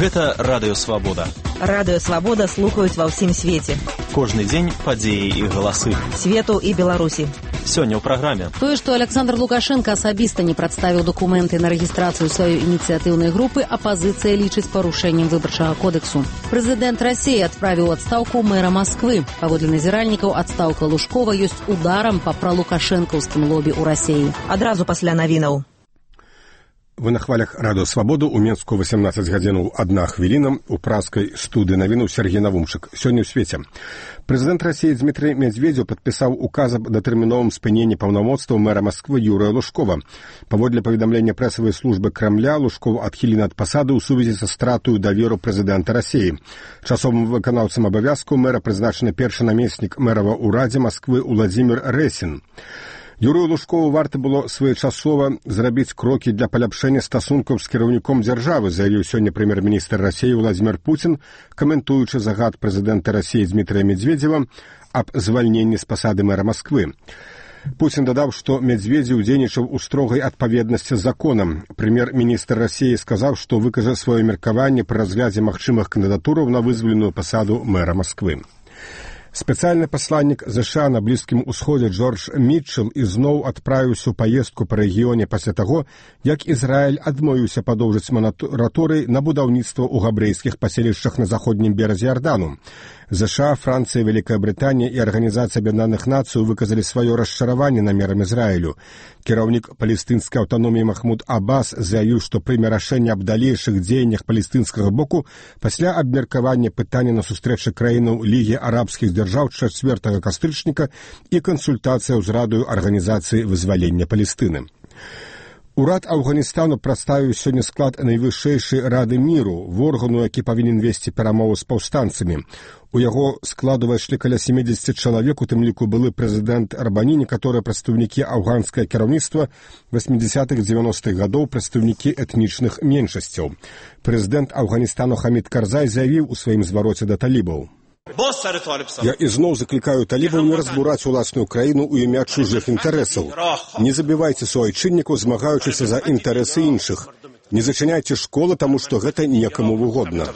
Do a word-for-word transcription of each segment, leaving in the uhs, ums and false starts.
Гэта Радыё Свабода. Радыё Свабода слухаюць ва ўсім свеце. Кожны дзень падзеі і галасы. Свету і Беларусі. Сёння ў праграме. Тое, што Александр Лукашенко асабіста не прадставіў дакументы на рэгістрацыю сваёй ініцыятыўнай групы, апазіцыя лічыць парушэннем выбарчага кодексу. Прэзідэнт Расіі адправіў адстаўку мэра Масквы. Паводле назіральнікаў, адстаўка Лужкова ёсць ударам па пралукашэнкаўскім лобі ў Расіі. Адразу пасля навінаў. Вы на хвалях Радыё Свабоду. У Менску васемнаццаць гадзінаў адна хвіліна. У праскай студыі навінаў Сергей Навумчык. Сёння ў свеце. Прэзідэнт Расіі Дмітрый Медведзеў падпісаў указ аб датэрміновым спыненні паўнамоцтваў мэра Масквы Юрыя Лужкова. Паводле паведамлення прэсавай службы Крамля, Лужков адхілены ад пасады ў сувязі са стратаю даверу прэзідэнта Расіі. Часовым выканаўцам абавязкаў мэра прызначаны першы намеснік мэрава ўрадзе Масквы Уладзімір Рэсін. Юрыю Лужкову варта было своечасова зрабіць крокі для паляпшэння стасункаў з кіраўніком дзяржавы, заявіў сёння прэм'ер-міністр Расіі Владзімір Пуцін, каментуючы загад прэзідэнта Расіі Дмітрыя Медведзева аб звальненні з пасады мэра Масквы. Пуцін дадаў, што Медведзеў дзейнічаў у строгай адпаведнасці з законам. Прэм'ер-міністр Расіі сказаў, што выкажа сваё меркаванне пры разглядзе магчымых кандыдатураў на вызваленую пасаду мэра Масквы. Спецыяльны пасланнік ЗША на Блізкім Усходзе Джордж Мітчел ізноў адправіўся ў паездку па рэгіёне пасля таго, як Ізраіль адмовіўся падоўжыць мараторый на будаўніцтва ў габрэйскіх паселішчах на заходнім беразе Ярдану. ЗША, Францыя, Вялікая Брытанія і Арганізацыя Аб'яднаных Нацый выказалі сваё расчараванне намерам Ізраілю. Кіраўнік палестынскай аўтаноміі Махмуд Аббас заявіў, што прыме рашэнне аб далейшых дзеяннях палестынскага боку пасля абмеркавання пытання на сустрэчы краінаў Лігі арабскіх дзяржаў чацвёртага кастрычніка і кансультацыяў з радаю Арганізацыі вызвалення Палестыны. Урад Афганістану прадставіў сёння склад найвышэйшай рады міру, в органу, які павінен весці перамовы з паўстанцамі. У яго складу ўвайшлі каля сямдзесят чалавек, у тым ліку былы прэзідэнт Арбані, некаторыя прадстаўнікі афганскае кіраўніцтва васьмідзясятых-дзевяностых гадоў, прадстаўнікі этнічных меншасцяў. Прэзідэнт Афганістану Хамід Карзай заявіў у сваім звароце да талібаў: «Я ізноў заклікаю талібаў не разбураць уласную краіну ў імя чужых інтарэсаў. Не забівайце суайчыннікаў, змагаючыся за інтарэсы іншых. Не зачыняйце школы, таму што гэта некаму выгодна»,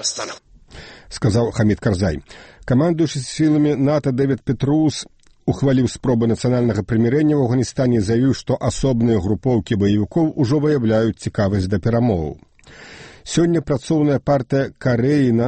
сказаў Хамід Карзай. Камандуючы сіламі НАТО Дэвід Петруус ухваліў спробы нацыянальнага прымірэння ў Афганістане і заявіў, што асобныя групоўкі баевікоў ужо выяўляюць цікавасць да перамоваў. Сёння працоўная партыя Карэі на